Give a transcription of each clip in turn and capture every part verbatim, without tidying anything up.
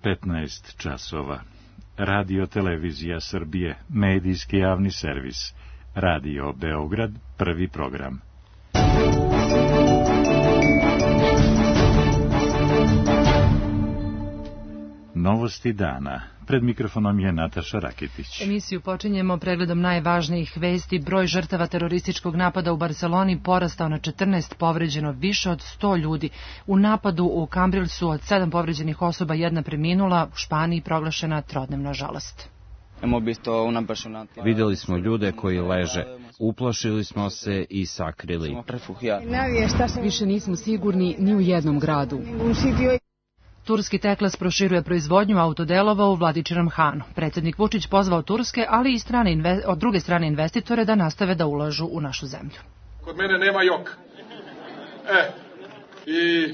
petnaest časova. Radio Televizija Srbije, medijski javni servis. Radio Beograd, prvi program. Novosti dana. Pred mikrofonom je Nataša Raketić. Emisiju počinjemo pregledom najvažnijih vesti. Broj žrtava terorističkog napada u Barseloni porastao na četrnaest, povređeno više od sto ljudi. U napadu u Cambrilsu od sedam povređenih osoba jedna preminula, u Španiji proglašena trodnevna žalost. Vidjeli smo ljude koji leže. Uplašili smo se i sakrili. Više nismo sigurni ni u jednom gradu. Turski Teklas proširuje proizvodnju autodelova u Vladičinom Hanu. Predsjednik Vučić pozvao turske, ali i strane inve... od druge strane investitore da nastave da ulažu u našu zemlju. Kod mene nema jok. E, i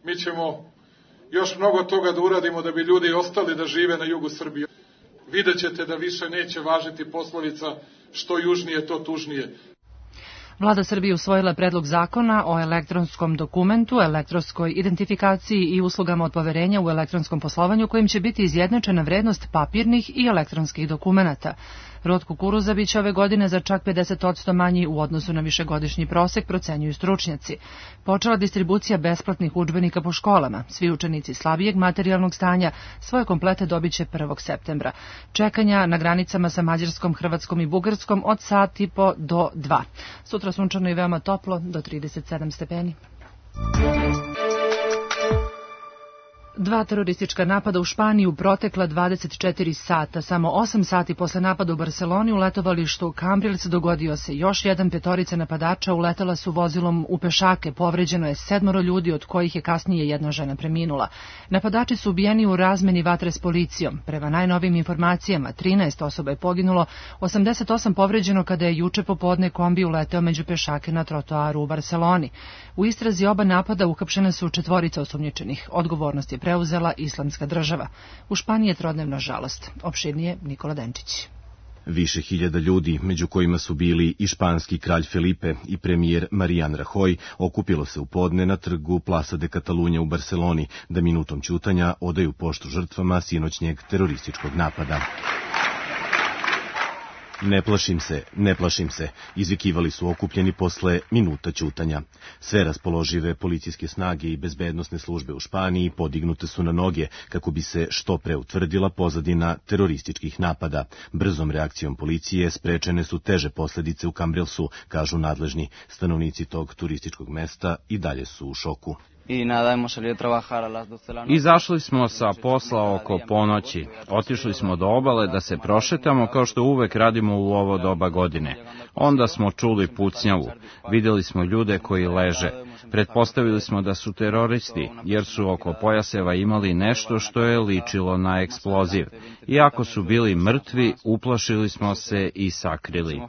mi ćemo još mnogo toga da uradimo da bi ljudi ostali da žive na jugu Srbije. Vidjet ćete da više neće važiti poslovica što južnije, to tužnije. Vlada Srbije usvojila predlog zakona o elektronskom dokumentu, elektronskoj identifikaciji i uslugama od poverenja u elektronskom poslovanju kojim će biti izjednačena vrednost papirnih i elektronskih dokumenata. Rod kukuruza biće ove godine za čak pedeset posto manji u odnosu na višegodišnji prosek, procenjuju stručnjaci. Počela distribucija besplatnih udžbenika po školama. Svi učenici slabijeg materijalnog stanja svoje komplete dobit će prvog septembra. Čekanja na granicama sa Mađarskom, Hrvatskom i Bugarskom od sat i po do dva. Sutra sunčano i veoma toplo, do trideset sedam stepeni. Dva teroristička napada u Španiji u protekla dvadeset četiri sata. Samo osam sati posle napada u Barseloni u letovalištu Cambrils dogodio se još jedan. Petorica napadača uletela su vozilom u pešake. Povređeno je sedmoro ljudi, od kojih je kasnije jedna žena preminula. Napadači su ubijeni u razmeni vatre s policijom. Prema najnovim informacijama, trinaest osoba je poginulo, osamdeset osam povređeno kada je juče popodne kombi uleteo među pešake na trotoaru u Barseloni. U istrazi oba napada uhapšene su četvorica osumnjičenih. Odgovornost je preuzela Islamska država. U Španiji je trodnevna žalost. Opširnije Nikola Denčić. Više hiljada ljudi, među kojima su bili i španski kralj Felipe i premijer Marijan Rahoj, okupilo se u podne na trgu Plaza de Catalunya u Barseloni da minutom ćutanja odaju poštu žrtvama sinoćnjeg terorističkog napada. Ne plašim se, ne plašim se, izvikivali su okupljeni posle minuta ćutanja. Sve raspoložive policijske snage i bezbednosne službe u Španiji podignute su na noge kako bi se što pre utvrdila pozadina terorističkih napada. Brzom reakcijom policije sprečene su teže posledice u Cambrilsu, kažu nadležni. Stanovnici tog turističkog mesta i dalje su u šoku. Izašli smo sa posla oko ponoći. Otišli smo do obale da se prošetamo kao što uvek radimo u ovo doba godine. Onda smo čuli pucnjavu. Vidjeli smo ljude koji leže. Pretpostavili smo da su teroristi, jer su oko pojaseva imali nešto što je ličilo na eksploziv. Iako su bili mrtvi, uplašili smo se i sakrili.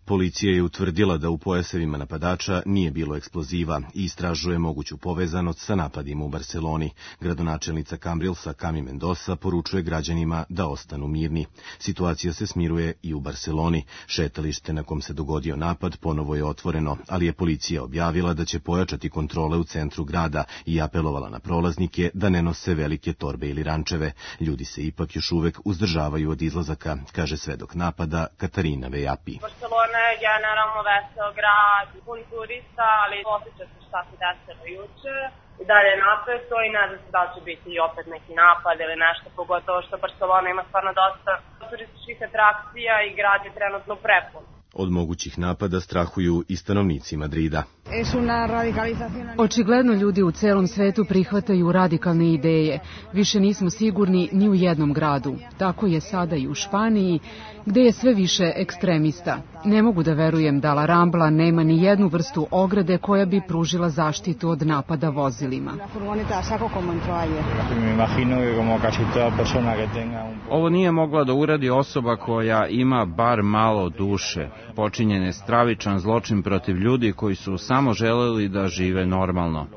Policija je utvrdila da u pojasevima napadača nije bilo eksploziva i istražuje moguću povezanost sa napadima u Barseloni. Gradonačelnica Cambrilsa Cami Mendoza poručuje građanima da ostanu mirni. Situacija se smiruje i u Barseloni. Šetalište na kom se dogodio napad ponovo je otvoreno, ali je policija objavila da će pojačati kontrole u centru grada i apelovala na prolaznike da ne nose velike torbe ili rančeve. Ljudi se ipak još uvek uzdržavaju od izlazaka, kaže svedok napada Katarina Vejapi. Barcelona je generalno vesel grad, pun turista, ali osjeća se šta se desilo juče. I dalje je napeto i ne znam se da će biti opet neki napad ili nešto, pogotovo što Barcelona ima stvarno dosta turističkih atrakcija i grad je trenutno prepun. Od mogućih napada strahuju i stanovnici Madrida. Očigledno ljudi u celom svetu prihvataju radikalne ideje. Više nismo sigurni ni u jednom gradu. Tako je sada i u Španiji, gde je sve više ekstremista. Ne mogu da verujem da La Rambla nema ni jednu vrstu ograde koja bi pružila zaštitu od napada vozilima. Ovo nije mogla da uradi osoba koja ima bar malo duše. Počinjen je stravičan zločin protiv ljudi koji su samo želeli da žive normalno.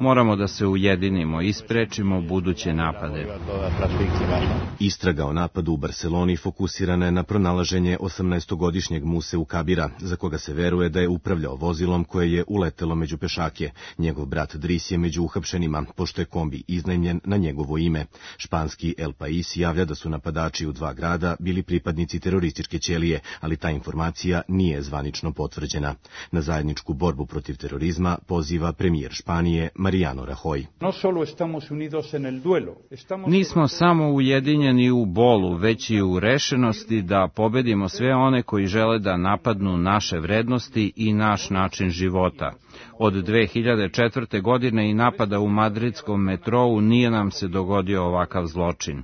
Moramo da se ujedinimo i sprečimo buduće napade. Istraga o napadu u Barseloni fokusirana je na pronalaženje osamnaestogodišnjeg Museu Kabira, za koga se veruje da je upravljao vozilom koje je uletelo među pešake. Njegov brat Dris je među uhapšenima, pošto je kombi iznajmljen na njegovo ime. Španski El País javlja da su napadači u dva grada bili pripadnici terorističke ćelije, ali ta informacija nije zvanično potvrđena. Na zajedničku borbu protiv terorizma poziva premijer Španije Mariano Rajoy. Nismo samo ujedinjeni u bolu, već i u rešenosti da pobedimo sve one koji žele da napadnu naše vrednosti i naš način života. Od dve hiljade četvrte. godine i napada u madridskom metrou nije nam se dogodio ovakav zločin.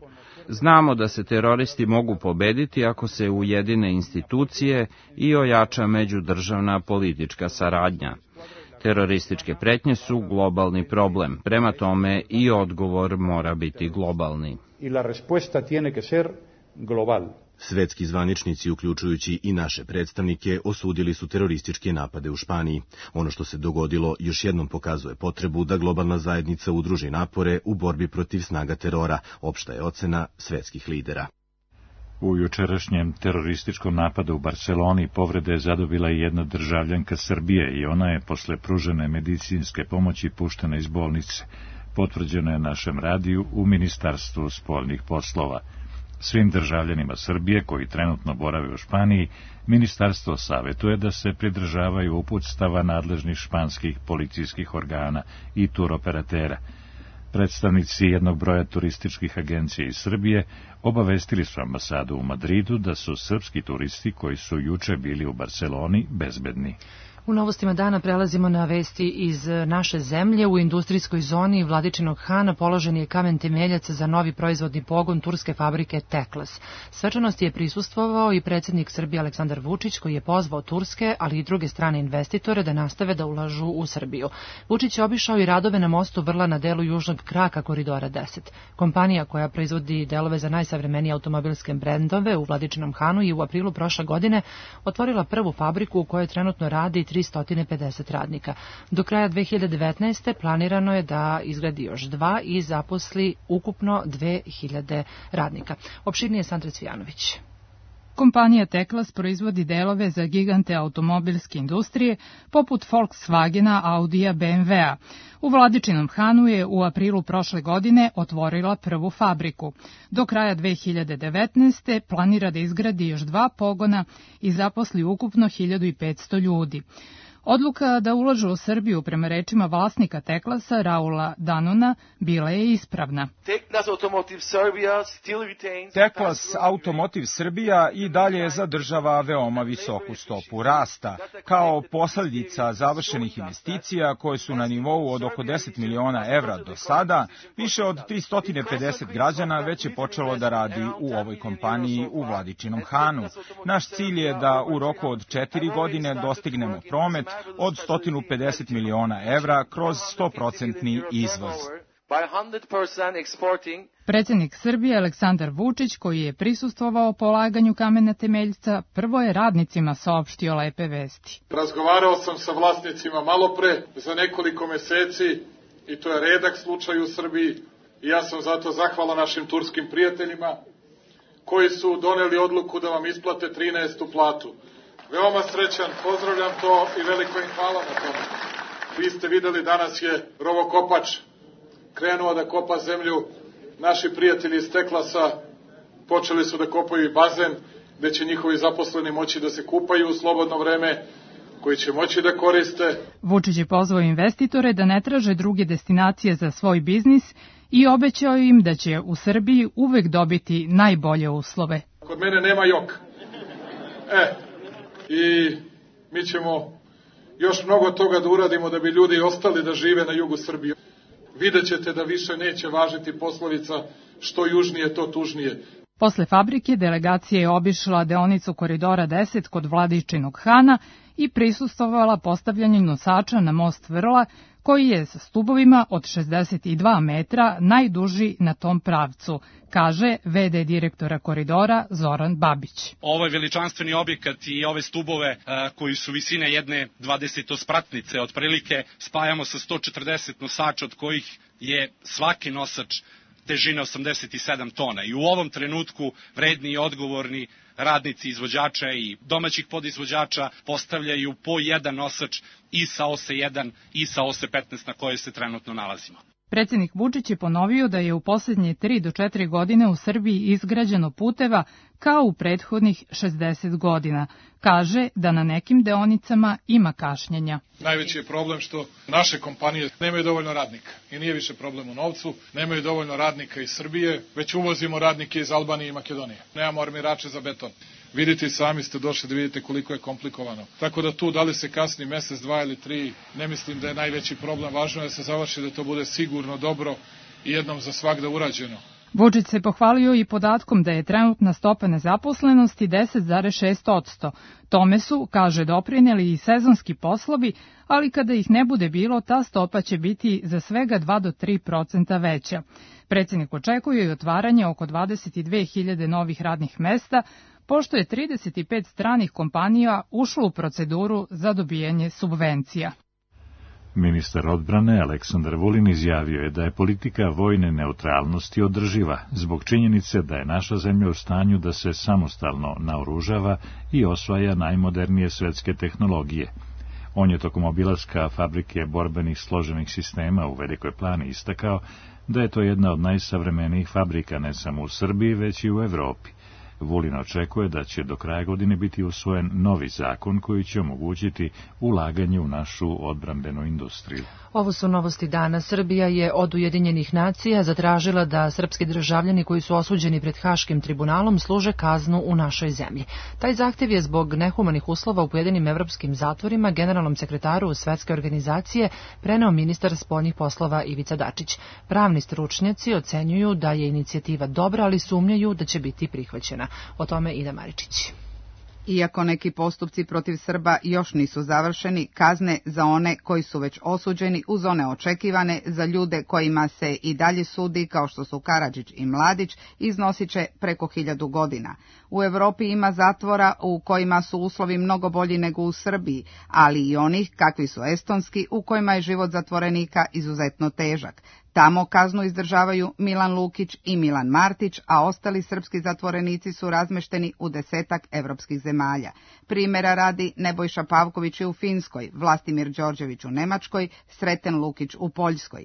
Znamo da se teroristi mogu pobediti ako se ujedine institucije i ojača međudržavna politička saradnja. Terorističke pretnje su globalni problem, prema tome i odgovor mora biti globalni. Svetski zvaničnici, uključujući i naše predstavnike, osudili su terorističke napade u Španiji. Ono što se dogodilo još jednom pokazuje potrebu da globalna zajednica udruži napore u borbi protiv snaga terora, opšta je ocena svetskih lidera. U jučerašnjem terorističkom napadu u Barseloni povrede je zadobila i jedna državljanka Srbije i ona je posle pružene medicinske pomoći puštena iz bolnice. Potvrđeno je našem radiju u Ministarstvu spoljnih poslova. Svim državljanima Srbije koji trenutno borave u Španiji, ministarstvo savetuje da se pridržavaju uputstava nadležnih španskih policijskih organa i turoperatera. Predstavnici jednog broja turističkih agencija iz Srbije obavestili su ambasadu u Madridu da su srpski turisti koji su juče bili u Barseloni bezbedni. U novostima dana prelazimo na vesti iz naše zemlje. U industrijskoj zoni Vladičinog Hana položen je kamen temeljac za novi proizvodni pogon turske fabrike Teklas. Svečanosti je prisustvovao i predsjednik Srbije Aleksandar Vučić, koji je pozvao turske, ali i druge strane investitore da nastave da ulažu u Srbiju. Vučić je obišao i radove na mostu Vrla na delu južnog kraka Koridora deset. Kompanija koja proizvodi delove za najsavremenije automobilske brendove u Vladičinom Hanu i u aprilu prošle godine otvorila prvu fabriku u kojoj trenutno radi tristo pedeset radnika. Do kraja dve hiljade devetnaeste. planirano je da izgradi još dva i zaposli ukupno dve hiljade radnika. Opširnije Sandra Cvijanović. Kompanija Teklas proizvodi delove za gigante automobilske industrije poput Volkswagena, Audija, be em ve-a. U Vladičinom Hanu je u aprilu prošle godine otvorila prvu fabriku. Do kraja dve hiljade devetnaeste. planira da izgradi još dva pogona i zaposli ukupno hiljadu petsto ljudi. Odluka da ulažu u Srbiju, prema rečima vlasnika Teklasa, Raula Danona, bila je ispravna. Teklas Automotiv Srbija i dalje zadržava veoma visoku stopu rasta. Kao posljedica završenih investicija koje su na nivou od oko deset miliona evra do sada, više od tristo pedeset građana već je počelo da radi u ovoj kompaniji u Vladičinom Hanu. Naš cilj je da u roku od četiri godine dostignemo promet od sto pedeset miliona evra kroz sto posto izvoz. Predsjednik Srbije Aleksandar Vučić, koji je prisustvovao polaganju kamena temeljca, prvo je radnicima saopštio lepe vesti. Razgovarao sam sa vlasnicima malopre za nekoliko meseci i to je redak slučaj u Srbiji i ja sam zato zahvalan našim turskim prijateljima koji su doneli odluku da vam isplate trinaestu platu. Veoma srećan, pozdravljam to i veliko im hvala na tome. Vi ste videli, danas je rovokopač krenuo da kopa zemlju. Naši prijatelji iz Teklasa počeli su da kopaju i bazen, gde će njihovi zaposleni moći da se kupaju u slobodno vreme, koji će moći da koriste. Vučić je pozvao investitore da ne traže druge destinacije za svoj biznis i obećao im da će u Srbiji uvek dobiti najbolje uslove. Kod mene nema jok. E, i mi ćemo još mnogo toga da uradimo da bi ljudi ostali da žive na jugu Srbije. Vidjet ćete da više neće važiti poslovica što južnije, to tužnije. Posle fabrike delegacija je obišla deonicu Koridora deset kod Vladičinog Hana i prisustvovala postavljanju nosača na most Vrla, koji je sa stubovima od šezdeset dva metra najduži na tom pravcu, kaže ve de direktora koridora Zoran Babić. Ovo je veličanstveni objekat i ove stubove a, koji su visine jedne dvadesetospratnice otprilike spajamo sa sto četrdeset nosača, od kojih je svaki nosač težine osamdeset sedam tona. I u ovom trenutku vredni i odgovorni radnici izvođača i domaćih podizvođača postavljaju po jedan nosač i sa ose jedan i sa ose petnaest na kojoj se trenutno nalazimo. Predsjednik Vučić je ponovio da je u posljednje tri do četiri godine u Srbiji izgrađeno puteva kao u prethodnih šezdeset godina. Kaže da na nekim deonicama ima kašnjenja. Najveći je problem što naše kompanije nemaju dovoljno radnika. I nije više problem u novcu, nemaju dovoljno radnika iz Srbije, već uvozimo radnike iz Albanije i Makedonije. Nemamo armirače za beton. Vidite i sami ste došli da vidite koliko je komplikovano. Tako da tu, da li se kasni mesec, dva ili tri, ne mislim da je najveći problem. Važno je da se završi, da to bude sigurno, dobro i jednom za svagda urađeno. Vučić se pohvalio i podatkom da je trenutna stopa nezaposlenosti deset zarez šest posto. Tome su, kaže, doprineli i sezonski poslovi, ali kada ih ne bude bilo, ta stopa će biti za svega dva do tri procenta veća. Predsjednik očekuje i otvaranje oko dvadeset dve hiljade novih radnih mesta, pošto je trideset pet stranih kompanija ušlo u proceduru za dobijanje subvencija. Ministar odbrane Aleksandar Vulin izjavio je da je politika vojne neutralnosti održiva, zbog činjenice da je naša zemlja u stanju da se samostalno naoružava i osvaja najmodernije svetske tehnologije. On je tokom obilaska fabrike borbenih složenih sistema u Velikoj Plani istakao da je to jedna od najsavremenijih fabrika ne samo u Srbiji, već i u Evropi. Vulin očekuje da će do kraja godine biti usvojen novi zakon koji će omogućiti ulaganje u našu odbrambenu industriju. Ovo su novosti dana. Srbija je od Ujedinjenih nacija zatražila da srpski državljani koji su osuđeni pred Haškim tribunalom služe kaznu u našoj zemlji. Taj zahtev je zbog nehumanih uslova u pojedinim evropskim zatvorima generalnom sekretaru Svetske organizacije preneo ministar spoljnih poslova Ivica Dačić. Pravni stručnjaci ocenjuju da je inicijativa dobra, ali sumnjaju da će biti prihvaćena. O tome Ida Maričić. Iako neki postupci protiv Srba još nisu završeni, kazne za one koji su već osuđeni uz one očekivane za ljude kojima se i dalje sudi, kao što su Karadžić i Mladić, iznosit će preko hiljadu godina. U Evropi ima zatvora u kojima su uslovi mnogo bolji nego u Srbiji, ali i onih, kakvi su estonski, u kojima je život zatvorenika izuzetno težak. Tamo kaznu izdržavaju Milan Lukić i Milan Martić, a ostali srpski zatvorenici su razmešteni u desetak evropskih zemalja. Primjera radi Nebojša Pavković u Finskoj, Vlastimir Đorđević u Nemačkoj, Sreten Lukić u Poljskoj.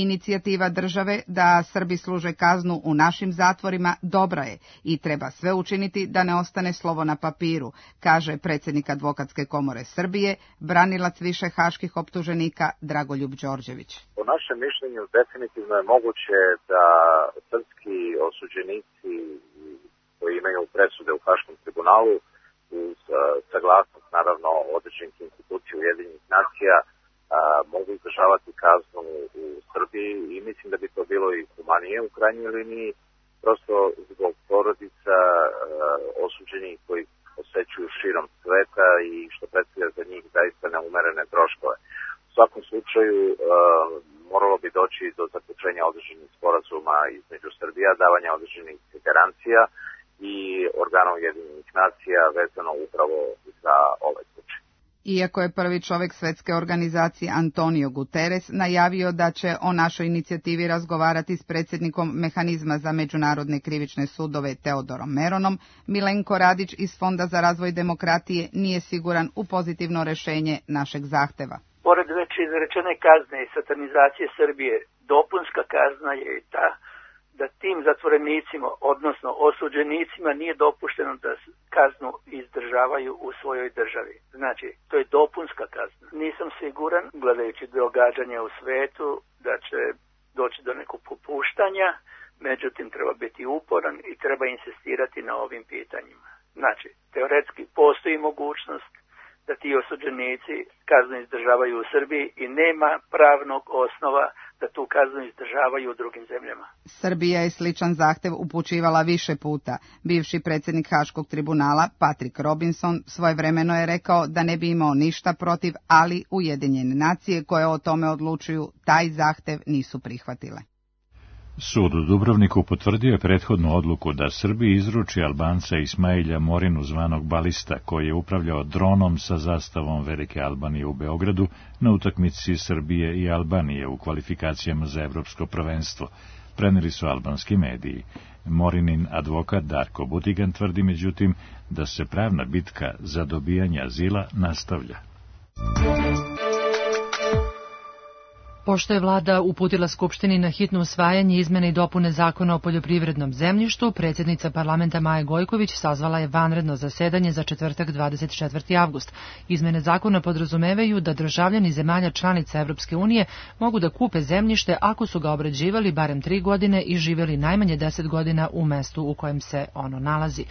Inicijativa države da Srbi služe kaznu u našim zatvorima dobra je i treba sve učiniti da ne ostane slovo na papiru, kaže predsjednik Advokatske komore Srbije, branilac više haških optuženika Dragoljub Đorđević. Po našem mišljenju definitivno je moguće da srpski osuđenici koji imaju presude u Haškom tribunalu uz saglasnost naravno određenih institucija Ujedinjenih nacija A, mogu izdržavati kaznu u Srbiji i mislim da bi to bilo i humanije u krajnjoj liniji, prosto zbog porodica a, osuđenih koji posećuju širom sveta i što predstavlja za njih zaista neumerene troškove. U svakom slučaju a, moralo bi doći do zaključenja određenih sporazuma između Srbija, davanja određenih garancija i organa Ujedinjenih nacija vezano upravo za ovaj slučaj. Iako je prvi čovjek Svetske organizacije Antonio Guterres najavio da će o našoj inicijativi razgovarati s predsjednikom Mehanizma za međunarodne krivične sudove Teodorom Meronom, Milenko Radić iz Fonda za razvoj demokratije nije siguran u pozitivno rješenje našeg zahteva. Pored već izrečene kazne i satanizacije Srbije, dopunska kazna je i ta da tim zatvorenicima, odnosno osuđenicima, nije dopušteno da kaznu izdržavaju u svojoj državi. Znači, to je dopunska kazna. Nisam siguran, gledajući događanja u svetu, da će doći do nekog popuštanja, međutim treba biti uporan i treba insistirati na ovim pitanjima. Znači, teoretski postoji mogućnost da ti osuđenici kaznu izdržavaju u Srbiji i nema pravnog osnova da tu kaznu izdržavaju u drugim zemljama. Srbija je sličan zahtev upućivala više puta. Bivši predsjednik Haškog tribunala, Patrick Robinson, svojevremeno je rekao da ne bi imao ništa protiv, ali Ujedinjene nacije koje o tome odlučuju taj zahtev nisu prihvatile. Sud u Dubrovniku potvrdio je prethodnu odluku da Srbiji izruči Albanca Ismailja Morinu zvanog Balista, koji je upravljao dronom sa zastavom Velike Albanije u Beogradu na utakmici Srbije i Albanije u kvalifikacijama za evropsko prvenstvo, preneli su albanski mediji. Morinin advokat Darko Butigan tvrdi međutim da se pravna bitka za dobijanje azila nastavlja. Pošto je vlada uputila Skupštini na hitno usvajanje izmene i dopune zakona o poljoprivrednom zemljištu, predsjednica parlamenta Maja Gojković sazvala je vanredno zasedanje za četvrtak dvadeset četvrti avgust. Izmene zakona podrazumevaju da državljani zemalja članica Evropske unije mogu da kupe zemljište ako su ga obrađivali barem tri godine i živjeli najmanje deset godina u mestu u kojem se ono nalazi.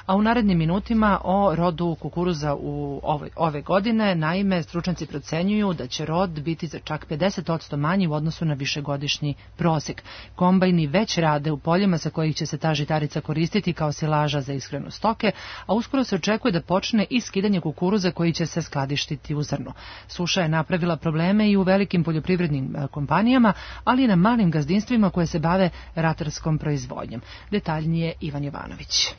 A u narednim minutima o rodu kukuruza u ove, ove godine, naime, stručnjaci procenjuju da će rod biti za čak pedeset posto manji u odnosu na višegodišnji prosek. Kombajni već rade u poljima sa kojih će se ta žitarica koristiti kao silaža za ishranu stoke, a uskoro se očekuje da počne i skidanje kukuruza koji će se skladištiti u zrnu. Suša je napravila probleme i u velikim poljoprivrednim kompanijama, ali i na malim gazdinstvima koje se bave ratarskom proizvodnjom. Detaljnije Ivan Jovanović.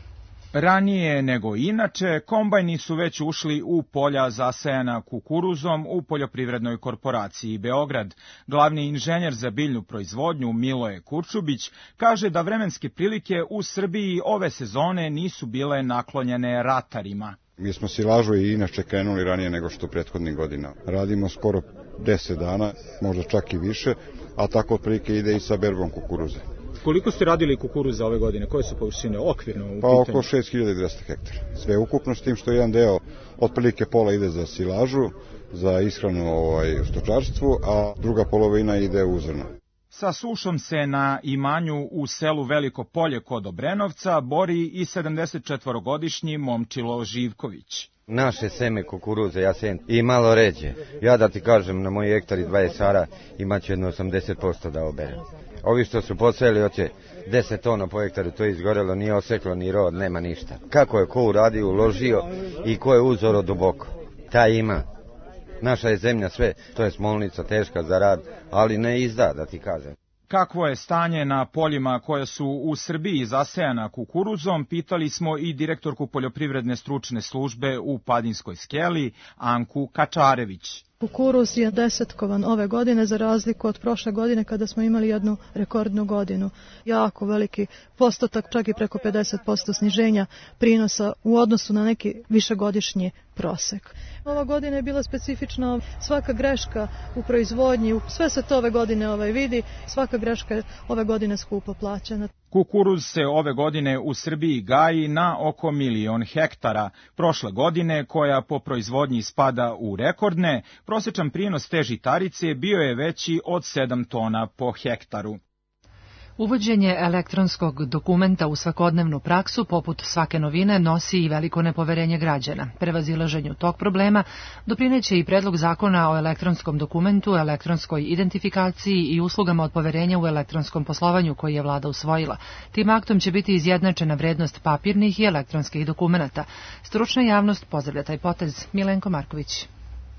Ranije nego inače, kombajni su već ušli u polja zasejana kukuruzom u poljoprivrednoj korporaciji Beograd. Glavni inženjer za biljnu proizvodnju Miloje Kurčubić kaže da vremenske prilike u Srbiji ove sezone nisu bile naklonjene ratarima. Mi smo silažu i inače krenuli ranije nego što prethodnih godina. Radimo skoro deset dana, možda čak i više, a tako otprilike ide i sa berbom kukuruze. Koliko ste radili kukuruza ove godine? Koje su površine okvirno u pitanju? Pa oko šest hiljada dvesta hektara. Sve ukupno, s tim što jedan deo otprilike pola ide za silažu, za ishranu ovaj, u stočarstvu, a druga polovina ide u zrno. Sa sušom se na imanju u selu Veliko Polje kod Obrenovca bori i sedamdesetčetvorogodišnji Momčilo Živković. Naše seme kukuruze ja sejem i malo ređe. Ja da ti kažem, na moji hektari dvadeset ara imaću jedno osamdeset posto da oberem. Ovi što su posejali hoće deset tona po hektaru, to je izgorelo, nije oseklo ni rod, nema ništa. Kako je ko uradio, uložio i ko je uzoro duboko, taj ima. Naša je zemlja sve, to je smolnica teška za rad, ali ne izda, da ti kažem. Kakvo je stanje na poljima koja su u Srbiji zasejana kukuruzom, pitali smo i direktorku poljoprivredne stručne službe u Padinskoj skeli, Anku Kačarević. Kukuruz je desetkovan ove godine za razliku od prošle godine kada smo imali jednu rekordnu godinu. Jako veliki postotak, čak i preko pedeset posto sniženja prinosa u odnosu na neki višegodišnji prosek. Ova godina je bila specifična, svaka greška u proizvodnji, sve se to ove godine ovaj vidi, svaka greška je ove godine skupo plaćena. Kukuruz se ove godine u Srbiji gaji na oko milion hektara. Prošle godine, koja po proizvodnji spada u rekordne, prosječan prinos te žitarice bio je veći od sedam tona po hektaru. Uvođenje elektronskog dokumenta u svakodnevnu praksu, poput svake novine, nosi i veliko nepoverenje građana. Prevazilaženju tog problema doprineće i predlog zakona o elektronskom dokumentu, elektronskoj identifikaciji i uslugama od poverenja u elektronskom poslovanju koji je vlada usvojila. Tim aktom će biti izjednačena vrednost papirnih i elektronskih dokumenata. Stručna javnost pozdravlja taj potez. Milenko Marković.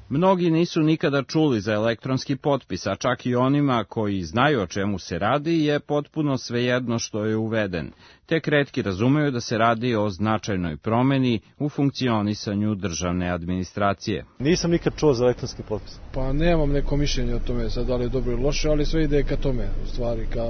Mnogi nisu nikada čuli za elektronski potpis, a čak i onima koji znaju o čemu se radi je potpuno svejedno što je uveden. Tek retki razumeju da se radi o značajnoj promeni u funkcionisanju državne administracije. Nisam nikad čuo za elektronski potpis. Pa nemam neko mišljenje o tome, sad da li je dobro ili loše, ali sve ide ka tome, u stvari, ka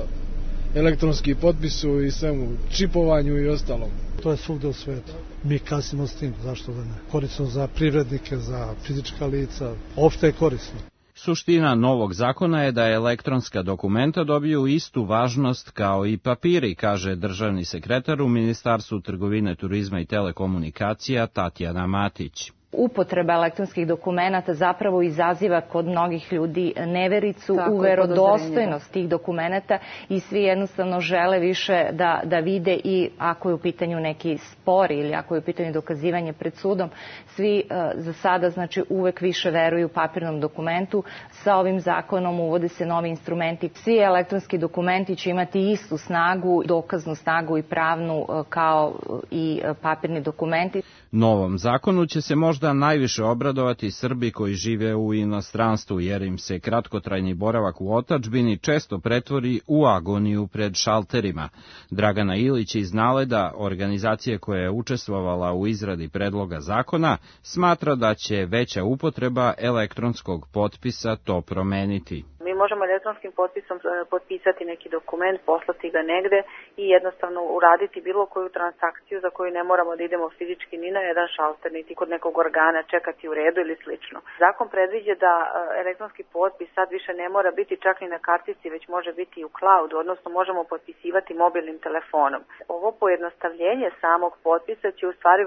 elektronski potpisu i svemu, čipovanju i ostalom. To je svugde u svetu. Mi kasnimo s tim, zašto da ne? Korisno za privrednike, za fizička lica, opšte je korisno. Suština novog zakona je da elektronska dokumenta dobiju istu važnost kao i papiri, kaže državni sekretar u Ministarstvu trgovine, turizma i telekomunikacija Tatjana Matić. Upotreba elektronskih dokumenata zapravo izaziva kod mnogih ljudi nevericu Tako u verodostojnost tih dokumenata i svi jednostavno žele više da, da vide i ako je u pitanju neki spor ili ako je u pitanju dokazivanje pred sudom, svi uh, za sada znači uvek više veruju papirnom dokumentu. Sa ovim zakonom uvode se novi instrumenti. Svi elektronski dokumenti će imati istu snagu, dokaznu snagu i pravnu uh, kao i uh, papirni dokumenti. Novom zakonu će se možda najviše obradovati Srbi koji žive u inostranstvu, jer im se kratkotrajni boravak u otadžbini često pretvori u agoniju pred šalterima. Dragana Ilić iz Naleda, organizacije koja je učestvovala u izradi predloga zakona, smatra da će veća upotreba elektronskog potpisa to promeniti. Mi možemo elektronskim potpisom potpisati neki dokument, poslati ga negde i jednostavno uraditi bilo koju transakciju za koju ne moramo da idemo fizički ni na jedan šalter, niti kod nekog organa čekati u redu ili slično. Zakon predviđa da elektronski potpis sad više ne mora biti čak ni na kartici, već može biti i u cloudu, odnosno možemo potpisivati mobilnim telefonom. Ovo pojednostavljenje samog potpisa će u stvari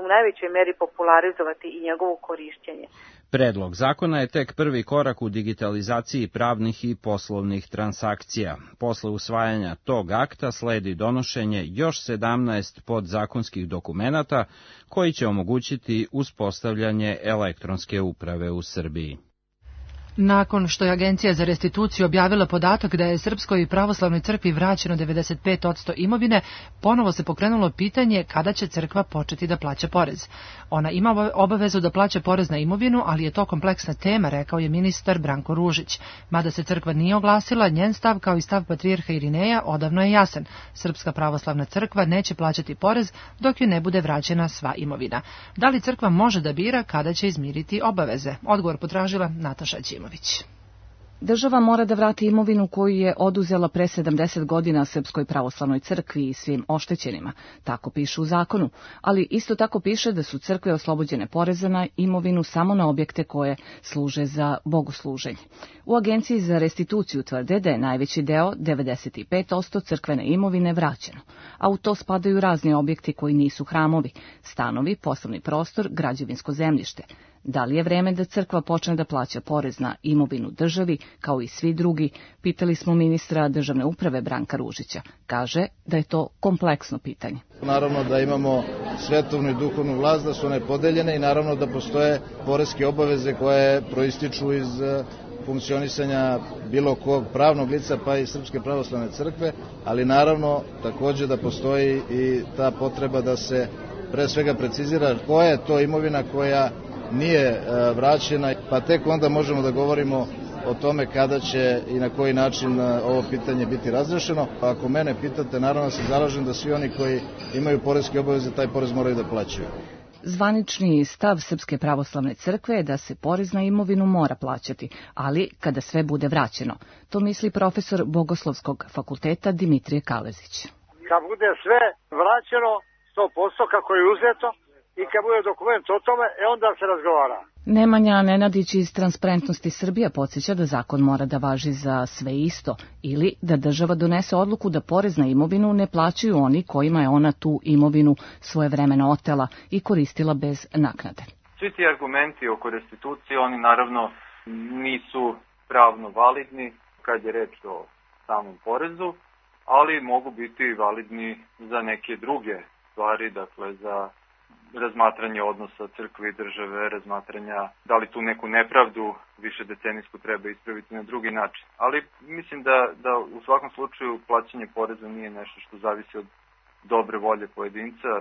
u najvećoj meri popularizovati i njegovo korišćenje. Predlog zakona je tek prvi korak u digitalizaciji pravnih i poslovnih transakcija. Posle usvajanja tog akta sledi donošenje još sedamnaest podzakonskih dokumenata koji će omogućiti uspostavljanje elektronske uprave u Srbiji. Nakon što je Agencija za restituciju objavila podatak da je Srpskoj pravoslavnoj crkvi vraćeno devedeset pet posto imovine, ponovo se pokrenulo pitanje kada će crkva početi da plaća porez. Ona ima obavezu da plaća porez na imovinu, ali je to kompleksna tema, rekao je ministar Branko Ružić. Mada se crkva nije oglasila, njen stav kao i stav patrijarha Irineja odavno je jasan. Srpska pravoslavna crkva neće plaćati porez dok joj ne bude vraćena sva imovina. Da li crkva može da bira kada će izmiriti obaveze? Odgovor potražila Nataša Ćimović. Država mora da vrati imovinu koju je oduzela pre sedamdeset godina Srpskoj pravoslavnoj crkvi i svim oštećenima. Tako piše u zakonu, ali isto tako piše da su crkve oslobođene poreza na imovinu samo na objekte koje služe za bogosluženje. U Agenciji za restituciju tvrde da je najveći deo, devedeset pet posto crkvene imovine, vraćeno, a u to spadaju razni objekti koji nisu hramovi, stanovi, poslovni prostor, građevinsko zemljište. Da li je vreme da crkva počne da plaća porez na imovinu državi, kao i svi drugi, pitali smo ministra državne uprave Branka Ružića. Kaže da je to kompleksno pitanje. Naravno da imamo svetovnu i duhovnu vlast, da su one podeljene i naravno da postoje poreske obaveze koje proističu iz funkcionisanja bilo kog pravnog lica, pa i Srpske pravoslavne crkve, ali naravno takođe da postoji i ta potreba da se pre svega precizira koja je to imovina koja nije vraćena, pa tek onda možemo da govorimo o tome kada će i na koji način ovo pitanje biti razrešeno. Ako mene pitate, naravno se zalažem da svi oni koji imaju poreske obaveze taj porez moraju da plaćaju. Zvanični stav Srpske pravoslavne crkve je da se porez na imovinu mora plaćati, ali kada sve bude vraćeno. To misli profesor Bogoslovskog fakulteta Dimitrije Kalezić. Kad bude sve vraćeno sto posto kako je uzeto, i kad bude dokument o tome, e onda se razgovara. Nemanja Nenadić iz Transparentnosti Srbija podsjeća da zakon mora da važi za sve isto ili da država donese odluku da porez na imovinu ne plaćaju oni kojima je ona tu imovinu svojevremeno otela i koristila bez naknade. Svi ti argumenti oko restitucije, oni naravno nisu pravno validni kad je reč o samom porezu, ali mogu biti validni za neke druge stvari, dakle za razmatranje odnosa crkve i države, razmatranja da li tu neku nepravdu više decenijsku treba ispraviti na drugi način. Ali mislim da, da u svakom slučaju plaćanje poreza nije nešto što zavisi od dobre volje pojedinca,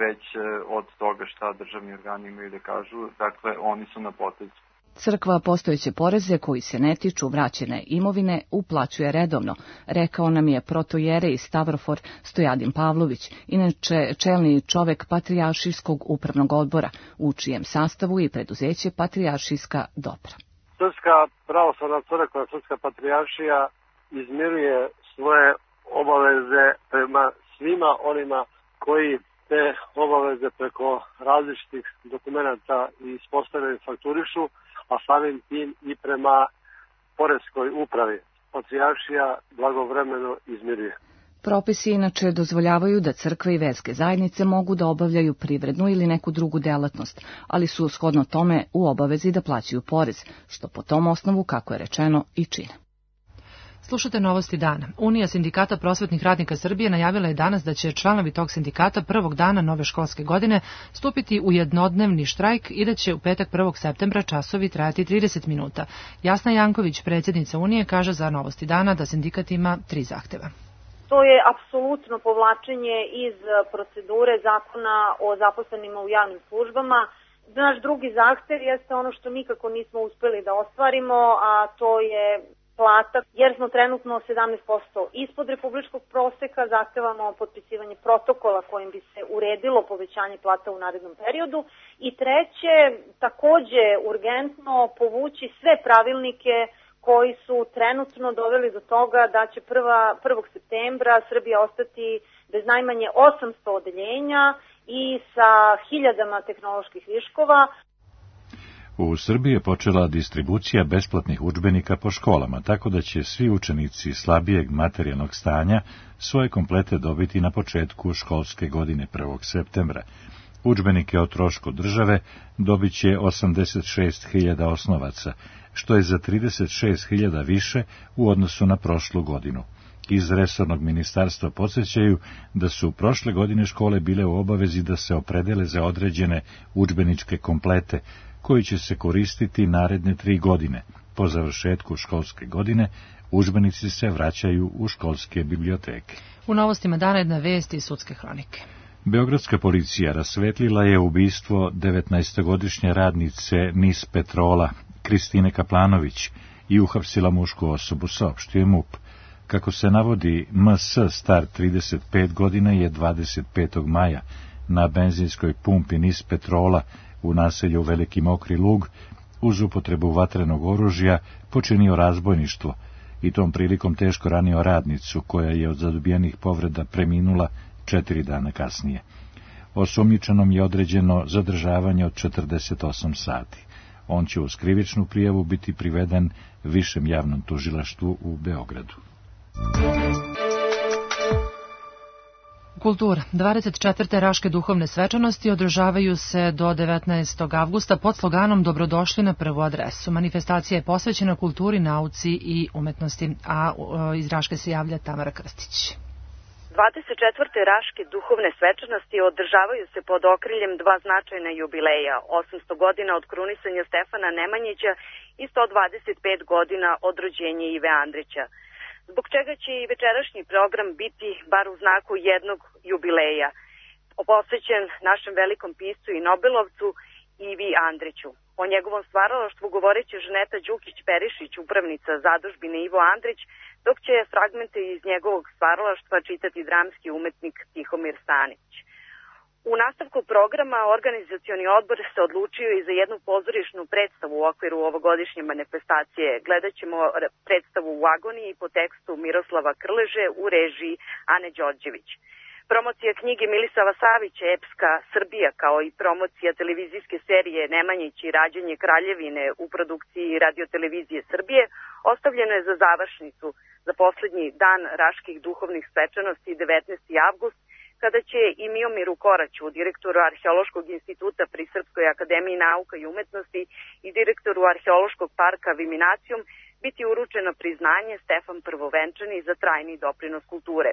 već od toga šta državni organi imaju da kažu, dakle oni su na potezu. Crkva postojeće poreze koji se ne tiču vraćene imovine uplaćuje redovno, rekao nam je protojerej Stavrofor Stojadin Pavlović, inače čelni čovek Patrijaršijskog upravnog odbora, u čijem sastavu i preduzeće Patrijaršijska dobra. Srpska pravoslavna crkva, Srpska patrijaršija izmiruje svoje obaveze prema svima onima koji te obaveze preko različitih dokumenta i ispostavljaju fakturišu, a samim tim i prema poreskoj upravi. Patrijaršija blagovremeno izmiruje. Propisi inače dozvoljavaju da crkve i verske zajednice mogu da obavljaju privrednu ili neku drugu delatnost, ali su shodno tome u obavezi da plaćaju porez, što po tom osnovu, kako je rečeno, i čine. Slušate novosti dana. Unija sindikata prosvetnih radnika Srbije najavila je danas da će članovi tog sindikata prvog dana nove školske godine stupiti u jednodnevni štrajk i da će u petak prvog septembra časovi trajati trideset minuta. Jasna Janković, predsjednica Unije, kaže za novosti dana da sindikat ima tri zahteva. To je apsolutno povlačenje iz procedure zakona o zaposlenima u javnim službama. Naš drugi zahtev jeste ono što nikako nismo uspeli da ostvarimo, a to je plata, jer smo trenutno sedamnaest posto ispod republičkog proseka, zahtevamo potpisivanje protokola kojim bi se uredilo povećanje plata u narednom periodu. I treće, takođe urgentno povući sve pravilnike koji su trenutno doveli do toga da će prvog septembra Srbija ostati bez najmanje osamsto odeljenja i sa hiljadama tehnoloških viškova. U Srbiji je počela distribucija besplatnih udžbenika po školama, tako da će svi učenici slabijeg materijalnog stanja svoje komplete dobiti na početku školske godine prvog septembra. Udžbenike o trošku države dobit će osamdeset šest hiljada osnovaca, što je za trideset šest hiljada više u odnosu na prošlu godinu. Iz resornog ministarstva podsjećaju da su prošle godine škole bile u obavezi da se opredele za određene udžbeničke komplete, koji će se koristiti naredne tri godine. Po završetku školske godine udžbenici se vraćaju u školske biblioteke. U novostima dana jedna vest iz sudske hronike. Beogradska policija rasvetlila je ubistvo devetnaestogodišnje radnice Nis Petrola, Kristine Kaplanović, i uhapsila mušku osobu, saopštio je MUP. Kako se navodi, M S star trideset pet godina je dvadeset petog maja na benzinskoj pumpi Nis Petrola u naselju Veliki Mokri Lug uz upotrebu vatrenog oružja počinio razbojništvo i tom prilikom teško ranio radnicu koja je od zadobijenih povreda preminula četiri dana kasnije. Osumnjičenom je određeno zadržavanje od četrdeset osam sati. On će uz krivičnu prijavu biti priveden višem javnom tužilaštvu u Beogradu. Kultura. dvadeset četvrte Raške duhovne svečanosti održavaju se do devetnaestog avgusta pod sloganom Dobrodošli na prvu adresu. Manifestacija je posvećena kulturi, nauci i umetnosti, a iz Raške se javlja Tamara Krstić. dvadeset četvrte Raške duhovne svečanosti održavaju se pod okriljem dva značajna jubileja, osamsto godina od krunisanja Stefana Nemanjića i sto dvadeset pet godina od rođenja Ive Andrića. Zbog čega će i večerašnji program biti bar u znaku jednog jubileja, posvećen našem velikom piscu i Nobelovcu Ivi Andriću. O njegovom stvaralaštvu govoreće Žaneta Đukić-Perišić, upravnica zadužbine Ivo Andrić, dok će fragmente iz njegovog stvaralaštva čitati dramski umetnik Tihomir Stanić. U nastavku programa organizacioni odbor se odlučio i za jednu pozorišnu predstavu u okviru ovogodišnje manifestacije. Gledat ćemo predstavu u agoniji po tekstu Miroslava Krleže u režiji Ane Đorđević. Promocija knjige Milisava Savića Epska Srbija, kao i promocija televizijske serije Nemanjić i rađanje Kraljevine u produkciji Radiotelevizije Srbije ostavljeno je za završnicu za poslednji dan Raških duhovnih svečanosti devetnaesti avgust, kada će i Miomiru Koraću, direktoru Arheološkog instituta pri Srpskoj akademiji nauka i umetnosti i direktoru Arheološkog parka Viminacijum, biti uručeno priznanje Stefan Prvovenčani za trajni doprinos kulture.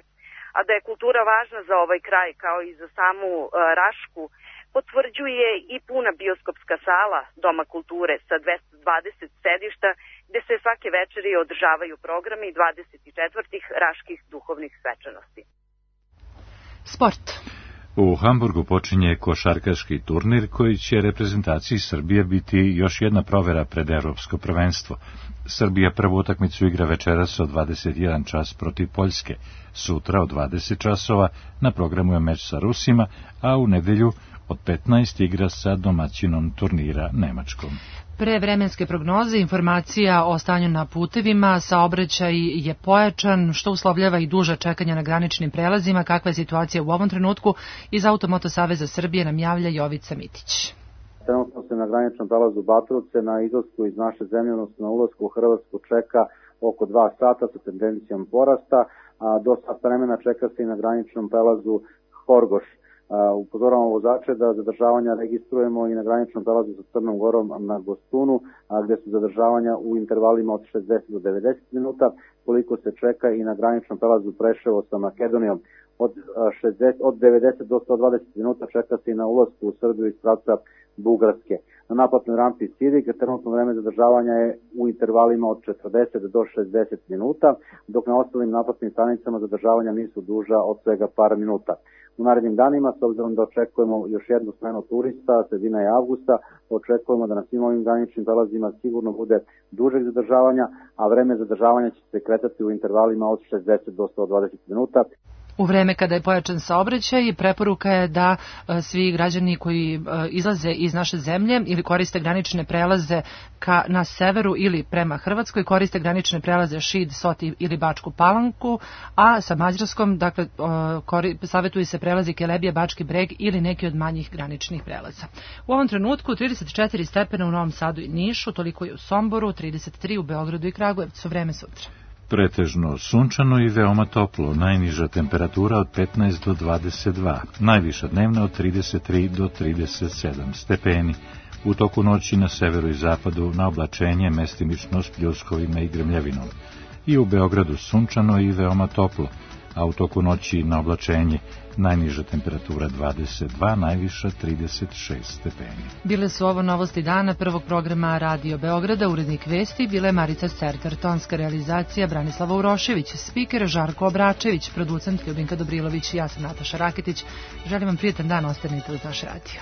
A da je kultura važna za ovaj kraj kao i za samu uh, Rašku, potvrđuje i puna bioskopska sala Doma kulture sa dvesta dvadeset sedišta, gde se svake večeri održavaju programi dvadeset četvrtih Raških duhovnih svečanosti. Sport. U Hamburgu počinje košarkaški turnir koji će reprezentaciji Srbije biti još jedna provera pred evropsko prvenstvo. Srbija prvu utakmicu igra večeras od dvadeset jedan čas protiv Poljske. Sutra od dvadeset časova na programu je meč sa Rusima, a u nedelju od petnaest igra sa domaćinom turnira Nemačkom. Pre vremenske prognoze informacija o stanju na putevima, saobraćaj je pojačan, što uslovljava i duža čekanja na graničnim prelazima. Kakva je situacija u ovom trenutku? Iz Automoto Saveza Srbije nam javlja Jovica Mitić. Trenutno se na graničnom prelazu Batrovce na izlasku iz naše zemlje, odnosno na ulasku u Hrvatsku čeka oko dva sata sa tendencijom porasta, a do sat vremena čeka se i na graničnom prelazu Horgoš. Upozoravamo vozače da zadržavanja registrujemo i na graničnom prelazu sa Crnom Gorom na Gostunu, gde su zadržavanja u intervalima od šezdeset do devedeset minuta, koliko se čeka i na graničnom prelazu Preševo sa Makedonijom. Od, šezdeset, od devedeset do sto dvadeset minuta čeka se i na ulasku u Srbiju iz pravca Bugarske. Na naplatnoj rampi Sidik trenutno vreme zadržavanja je u intervalima od četrdeset do šezdeset minuta, dok na ostalim naplatnim stanicama zadržavanja nisu duža od svega par minuta. U narednim danima, s obzirom da očekujemo još jednu smenu turista, sredina je avgusta, očekujemo da na svim ovim graničnim prelazima sigurno bude dužeg zadržavanja, a vreme zadržavanja će se kretati u intervalima od šezdeset do sto dvadeset minuta. U vreme kada je pojačan saobraćaj, preporuka je da svi građani koji izlaze iz naše zemlje ili koriste granične prelaze ka, na severu ili prema Hrvatskoj, koriste granične prelaze Šid, Soti ili Bačku Palanku, a sa Mađarskom, dakle, kori, savjetuju se prelazi Kelebija, Bački Breg ili neki od manjih graničnih prelaza. U ovom trenutku trideset četiri stepena u Novom Sadu i Nišu, toliko je u Somboru, trideset tri u Beogradu i Kragujevcu. Vreme sutra. Pretežno sunčano i veoma toplo, najniža temperatura od petnaest do dvadeset dva, najviša dnevna od trideset tri do trideset sedam stepeni. U toku noći na severu i zapadu na oblačenje mestimično s pljuskovima i grmljavinom. I u Beogradu sunčano i veoma toplo, a u toku noći na oblačenje najniža temperatura dvadeset dva, najviša trideset šest stepeni. Bile su ovo novosti dana prvog programa Radio Beograda, urednik vesti bile Marica Certar, tonska realizacija Branislava Urošević, spiker Žarko Obračević, producent Ljubinka Dobrilović i ja sam Nataša Raketić. Želim vam prijetan dan, ostanite uz naš radio.